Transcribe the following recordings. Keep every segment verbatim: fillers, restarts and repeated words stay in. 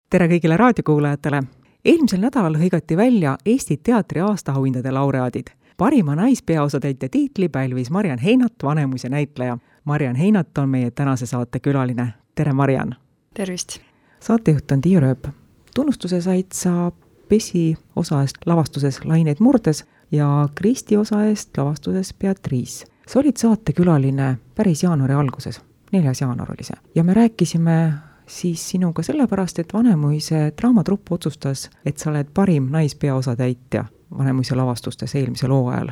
Tere kõigile raadiokuulajatele! Eelmisel nädalal hõigati välja Eesti teatri aastahauhindade laureaadid. Parima naispeaosatäitja tiitli pälvis Mariann Heinat, Vanemuise näitleja. Mariann Heinat on meie tänase saate külaline. Tere, Mariann! Tervist! Saatejuht on Tiia Rööp. Tunnustuse said sa Pesi osa eest lavastuses Laineid murdes ja Kristi osa eest lavastuses Beatrice. Sa olid saate külaline päris jaanuari alguses. neljas jaanuar oli see. Ja me rääkisime siis sinuga sellepärast, et Vanemuise draamatrupp otsustas, et sa oled parim naispeaosatäitja Vanemuise lavastustes eelmisel hooajal.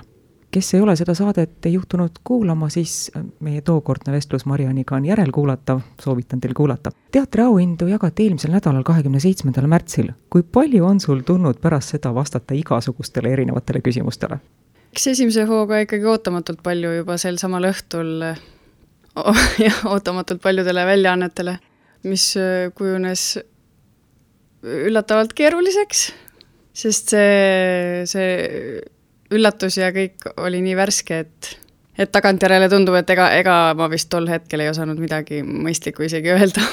Kes ei ole seda saadet ei juhtunud kuulama, siis meie tookordne vestlus Marianniga on järelkuulatav, soovitan teil kuulata. Teatri auhindu jagati eelmisel nädalal kahekümne seitsmendal märtsil. Kui palju on sul tulnud pärast seda vastata igasugustele erinevatele küsimustele? Eks esimese hooga ikkagi ootamatult palju juba sel samal õhtul ja ootamatult paljudele väljaannetele, mis kujunes üllatavalt keeruliseks, sest see, see üllatus ja kõik oli nii värske, et, et tagantjärele tundub, et ega, ega ma vist tol hetkel ei osanud midagi mõistlikku isegi öelda.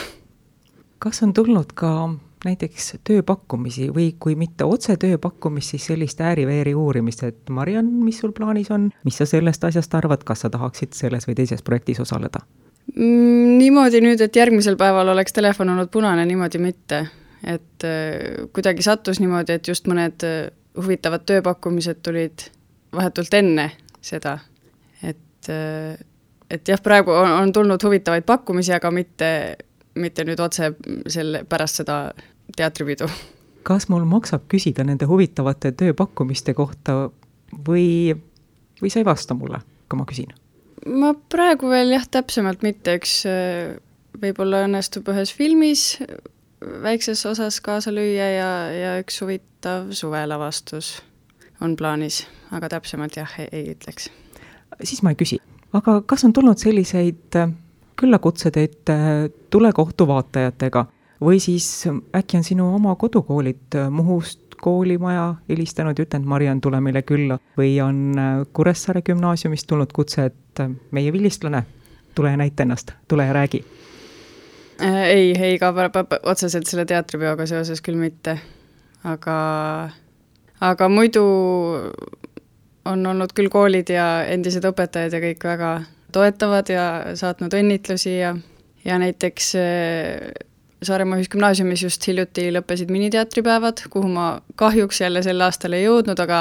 Kas on tulnud ka näiteks tööpakkumisi või kui mitte otse tööpakkumist, siis sellist ääriveeri uurimist, et Mariann, mis sul plaanis on, mis sa sellest asjast arvad, kas sa tahaksid selles või teises projektis osaleda? Mm, niimoodi nüüd, et järgmisel päeval oleks telefon olnud punane, niimoodi mitte. Et kuidagi sattus niimoodi, et just mõned huvitavad tööpakkumised tulid vahetult enne seda. Et, et jah, praegu on, on tulnud huvitavaid pakkumisi, aga mitte, mitte nüüd otse selle, pärast seda teatripidu. Kas mul maksab küsida nende huvitavate tööpakkumiste kohta või, või sa ei vasta mulle, kui ma küsin? Ma praegu veel jah, täpsemalt mitte. Üks võib-olla õnnestub ühes filmis väikses osas kaasa lüüa ja, ja üks huvitav suvelavastus on plaanis, aga täpsemalt jah, ei, ei ütleks. Siis ma ei küsi. Aga kas on tulnud selliseid küllakutsed, et tule kohtu vaatajatega või siis äkki on sinu oma kodukoolid Muhust koolimaja helistanud ja ütlenud, Mariann, tule meile külla või on Kuressaare gümnaasiumist tulnud kutse, et meie vilistlane, tule ja näita ennast, tule ja räägi. Ei, ei ka otseselt selle teatripeoga seoses küll mitte, aga, aga muidu on olnud küll koolid ja endised õpetajad ja kõik väga toetavad ja saatnud õnnitlusi ja, ja näiteks Saaremaa ühisgümnaasiumis just hiljuti lõppesid miniteatripäevad, kuhu ma kahjuks jälle sel aastal ei jõudnud, aga,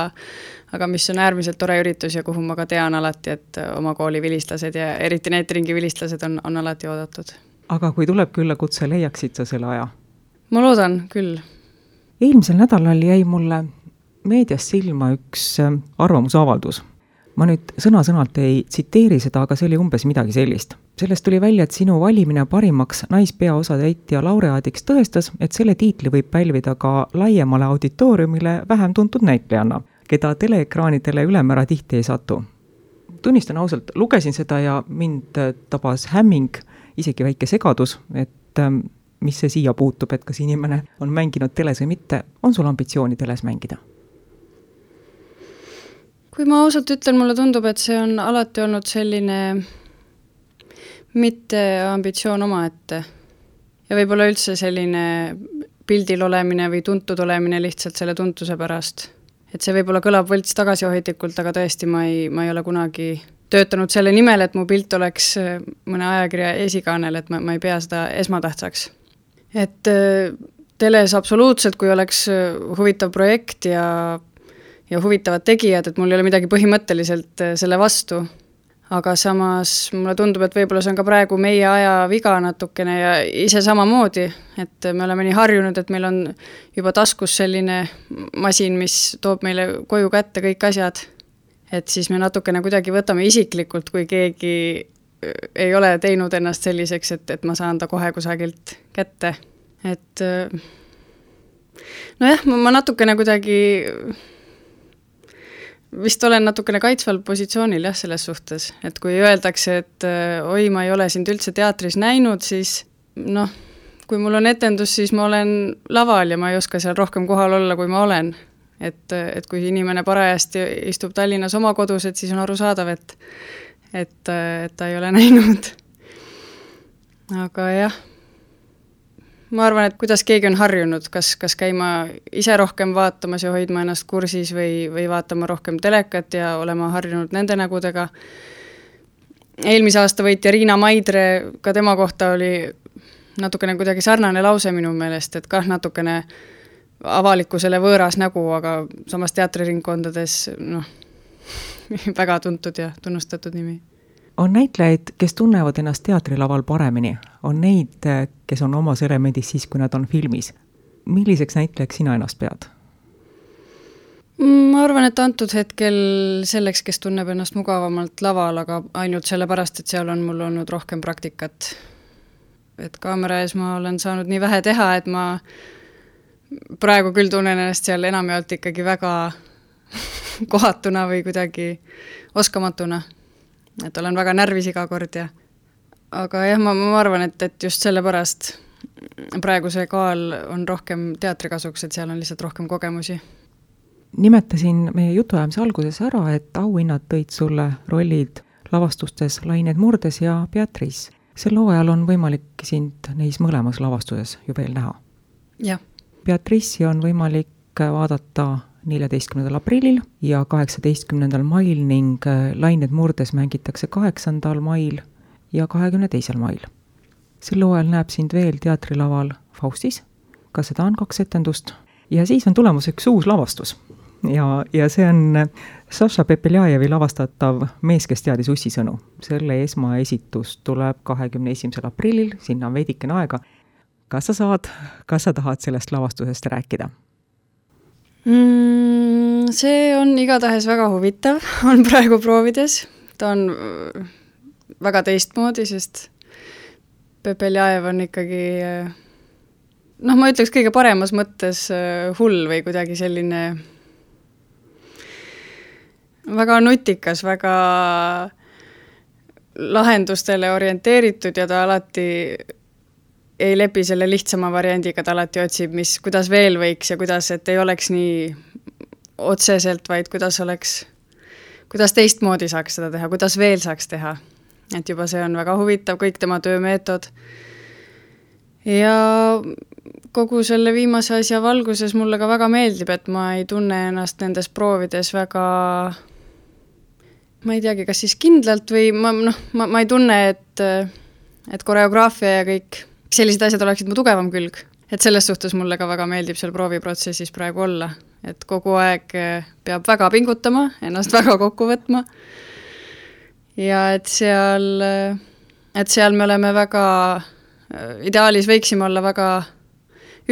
aga mis on äärmiselt tore üritus ja kuhu ma ka tean alati, et oma kooli vilistlased ja eriti neetringi vilistlased on, on alati oodatud. Aga kui tuleb külla kutse, leiaksid sa selle aja? Ma loodan küll. Eelmisel nädalal jäi mulle meedias silma üks arvamusavaldus. Ma nüüd sõna-sõnalt ei tsiteeri seda, aga see oli umbes midagi sellist. Sellest tuli välja, et sinu valimine parimaks naispeaosatäitja laureaadiks tõestas, et selle tiitli võib pälvida ka laiemale auditooriumile vähem tuntud näitlejanna, keda teleekraanidele ülemäära tihti ei satu. Tunnistan ausalt, lugesin seda ja mind tabas hämming, isegi väike segadus, et mis see siia puutub, et kas inimene on mänginud teles või mitte, on sul ambitsiooni teles mängida? Kui ma ausalt ütlen, mulle tundub, et see on alati olnud selline mitte ambitsioon omaette. Ja võib-olla üldse selline pildil olemine või tuntud olemine lihtsalt selle tuntuse pärast. Et see võib-olla kõlab võlts tagasihoidlikult, aga tõesti ma ei, ma ei ole kunagi töötanud selle nimel, et mu pilt oleks mõne ajakirja esikaanel, et ma, ma ei pea seda esmatähtsaks. Et teles absoluutselt, kui oleks huvitav projekt ja ja huvitavad tegijad, et mul ei ole midagi põhimõtteliselt selle vastu. Aga samas mulle tundub, et võib-olla see on ka praegu meie aja viga natukene ja ise samamoodi, et me oleme nii harjunud, et meil on juba taskus selline masin, mis toob meile koju kätte kõik asjad. Et siis me natukene kuidagi võtame isiklikult, kui keegi ei ole teinud ennast selliseks, et, et ma saan ta kohe kusagilt kätte. Et nojah, ma natukene kuidagi vist olen natukene kaitsval positsioonil jah, selles suhtes, et kui öeldakse, et oi, ma ei ole sind üldse teatris näinud, siis noh, kui mul on etendus, siis ma olen laval ja ma ei oska seal rohkem kohal olla, kui ma olen. Et, et kui inimene parajasti istub Tallinnas oma kodus, et siis on aru saadav, et, et, et ta ei ole näinud. Aga jah, ma arvan, et kuidas keegi on harjunud, kas, kas käima ise rohkem vaatamas ja hoidma ennast kursis või, või vaatama rohkem telekat ja olema harjunud nende nägudega. Eelmise aasta võitja Riina Maidre, ka tema kohta oli natukene kuidagi sarnane lause minu meelest, et kah natukene avalikkusele võõras nägu, aga samas teatriringkondades noh, väga tuntud ja tunnustatud nimi. On näitlejaid, kes tunnevad ennast teatrilaval paremini. On neid, kes on omas elemendis siis, kui nad on filmis. Milliseks näitlejaks sina ennast pead? Ma arvan, et antud hetkel selleks, kes tunneb ennast mugavamalt laval, aga ainult sellepärast, et seal on mul olnud rohkem praktikat. Et kaamera ees ma olen saanud nii vähe teha, et ma praegu küll tunnen ennast seal enamjaolt ikkagi väga kohatuna või kuidagi oskamatuna. Et olen väga närvis iga kord ja aga jah, ma, ma arvan, et, et just sellepärast praegu see kaal on rohkem teatrikasuks, et seal on lihtsalt rohkem kogemusi. Nimetasin meie jutuajamise alguses ära, et auhinnad tõid sulle rollid lavastustes Lained murdes ja Beatrice. Sel hooajal on võimalik sind neis mõlemas lavastuses ju veel näha. Jah. Beatrice'i on võimalik vaadata neljateistkümnendal aprillil ja kaheksateistkümnendal mail ning Lained murdes mängitakse kaheksandal mail ja kahekümne teisel mail. Sel hooajal näeb sind veel teatrilaval Faustis, ka seda on kaks etendust ja siis on tulemus üks uus lavastus ja, ja see on Saša Pepeljajevi lavastatav Mees, kes teadis ussisõnu. Selle esmaesitus tuleb kahekümne esimesel aprillil, sinna on veidikene aega. Kas sa saad, kas sa tahad sellest lavastusest rääkida? Mm, see on igatahes väga huvitav, on praegu proovides. Ta on väga teistmoodi, sest Pepeljajev on ikkagi, noh, ma ütleks kõige paremas mõttes hull või kuidagi selline väga nutikas, väga lahendustele orienteeritud ja ta alati ei lepi selle lihtsama variandiga, ta alati otsib, mis, kuidas veel võiks ja kuidas, et ei oleks nii otseselt, vaid kuidas oleks, kuidas teistmoodi saaks seda teha, kuidas veel saaks teha. Et juba see on väga huvitav, kõik tema töömeetod. Ja kogu selle viimase asja valguses mulle ka väga meeldib, et ma ei tunne ennast nendes proovides väga, ma ei teagi, kas siis kindlalt või ma, noh, ma, ma ei tunne, et, et koreograafia ja kõik sellised asjad oleksid mu tugevam külg. Et selles suhtes mulle ka väga meeldib seal prooviprotsessis praegu olla. Et kogu aeg peab väga pingutama, ennast väga kokku võtma. Ja et seal, et seal me oleme väga, ideaalis võiksime olla väga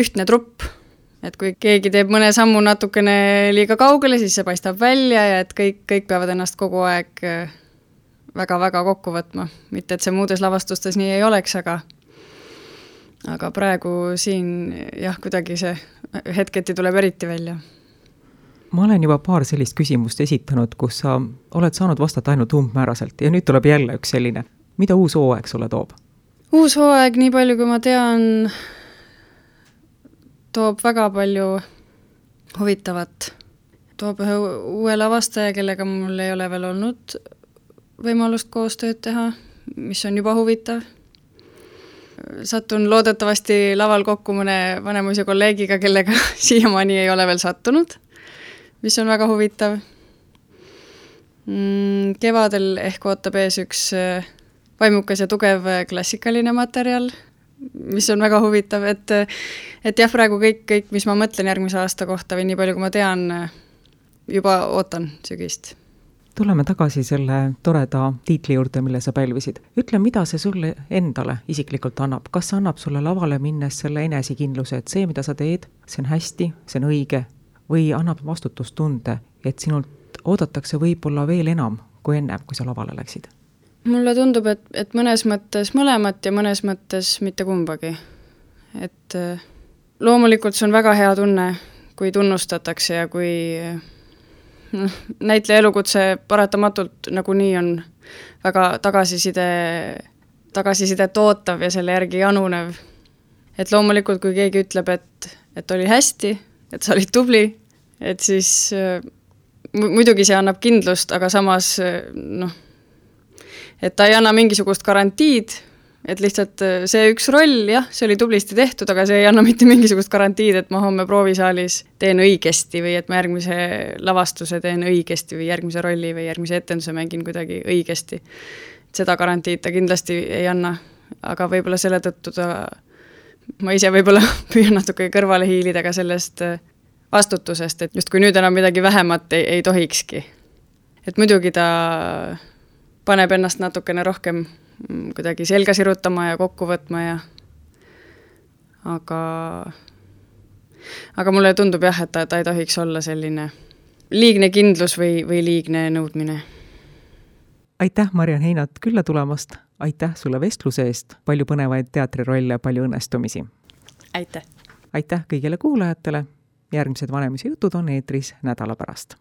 ühtne trupp. Et kui keegi teeb mõne sammu natukene liiga kaugele, siis see paistab välja ja et kõik, kõik peavad ennast kogu aeg väga-väga kokku võtma. Mitte, et see muudes lavastustes nii ei oleks, aga aga praegu siin jah, kuidagi see hetketi tuleb eriti välja. Ma olen juba paar sellist küsimust esitanud, kus sa oled saanud vastata ainult umbmääraselt ja nüüd tuleb jälle üks selline. Mida uus hooaeg sulle toob? Uus hooaeg, nii palju kui ma tean, toob väga palju huvitavat. Toob ühe uue lavastaja, kellega mul ei ole veel olnud võimalust koostööd teha, mis on juba huvitav. Sattun loodetavasti laval kokku mõne vanemuise kolleegiga, kellega siiamaani ei ole veel sattunud, mis on väga huvitav. Kevadel ehk ootab ees üks vaimukas ja tugev klassikaline materjal, mis on väga huvitav, et, et jah, praegu kõik, kõik, mis ma mõtlen järgmise aasta kohta või nii palju, kui ma tean, juba ootan sügist. Tuleme tagasi selle toreda tiitli juurde, mille sa pälvisid. Ütle, mida see sulle endale isiklikult annab? Kas see annab sulle lavale minnes selle enesekindluse, et see, mida sa teed, see on hästi, see on õige või annab vastutustunde, et sinult oodatakse võib-olla veel enam kui enne, kui sa lavale läksid? Mulle tundub, et, et mõnes mõttes mõlemat ja mõnes mõttes mitte kumbagi. Et loomulikult see on väga hea tunne, kui tunnustatakse ja kui näitleja elukutse paratamatult nagu nii on väga tagasiside, tagasisidet ootav ja selle järgi janunev. Et loomulikult, kui keegi ütleb, et, et oli hästi, et sa olid tubli, et siis muidugi see annab kindlust, aga samas noh, et ta ei anna mingisugust garantiid, et lihtsalt see üks roll, jah, see oli tublisti tehtud, aga see ei anna mitte mingisugust garantiid, et ma homme proovisaalis teen õigesti või et ma järgmise lavastuse teen õigesti või järgmise rolli või järgmise etenduse mängin kuidagi õigesti. Seda garantiid ta kindlasti ei anna, aga võib-olla selle tõttu ta, ma ise võib-olla püüan natuke kõrvale hiilida ka sellest vastutusest, et just kui nüüd enam midagi vähemat ei, ei tohikski. Et muidugi ta paneb ennast natukene rohkem kuidagi selga sirutama ja kokku võtma ja aga aga mulle tundub jah, et ta, ta ei tohiks olla selline liigne kindlus või, või liigne nõudmine. Aitäh, Mariann Heinat, külla tulemast. Aitäh sulle vestluse eest. Palju põnevaid teatrirolle, palju õnnestumisi. Aitäh. Aitäh kõigile kuulajatele. Järgmised Vanemuise jutud on eetris nädala pärast.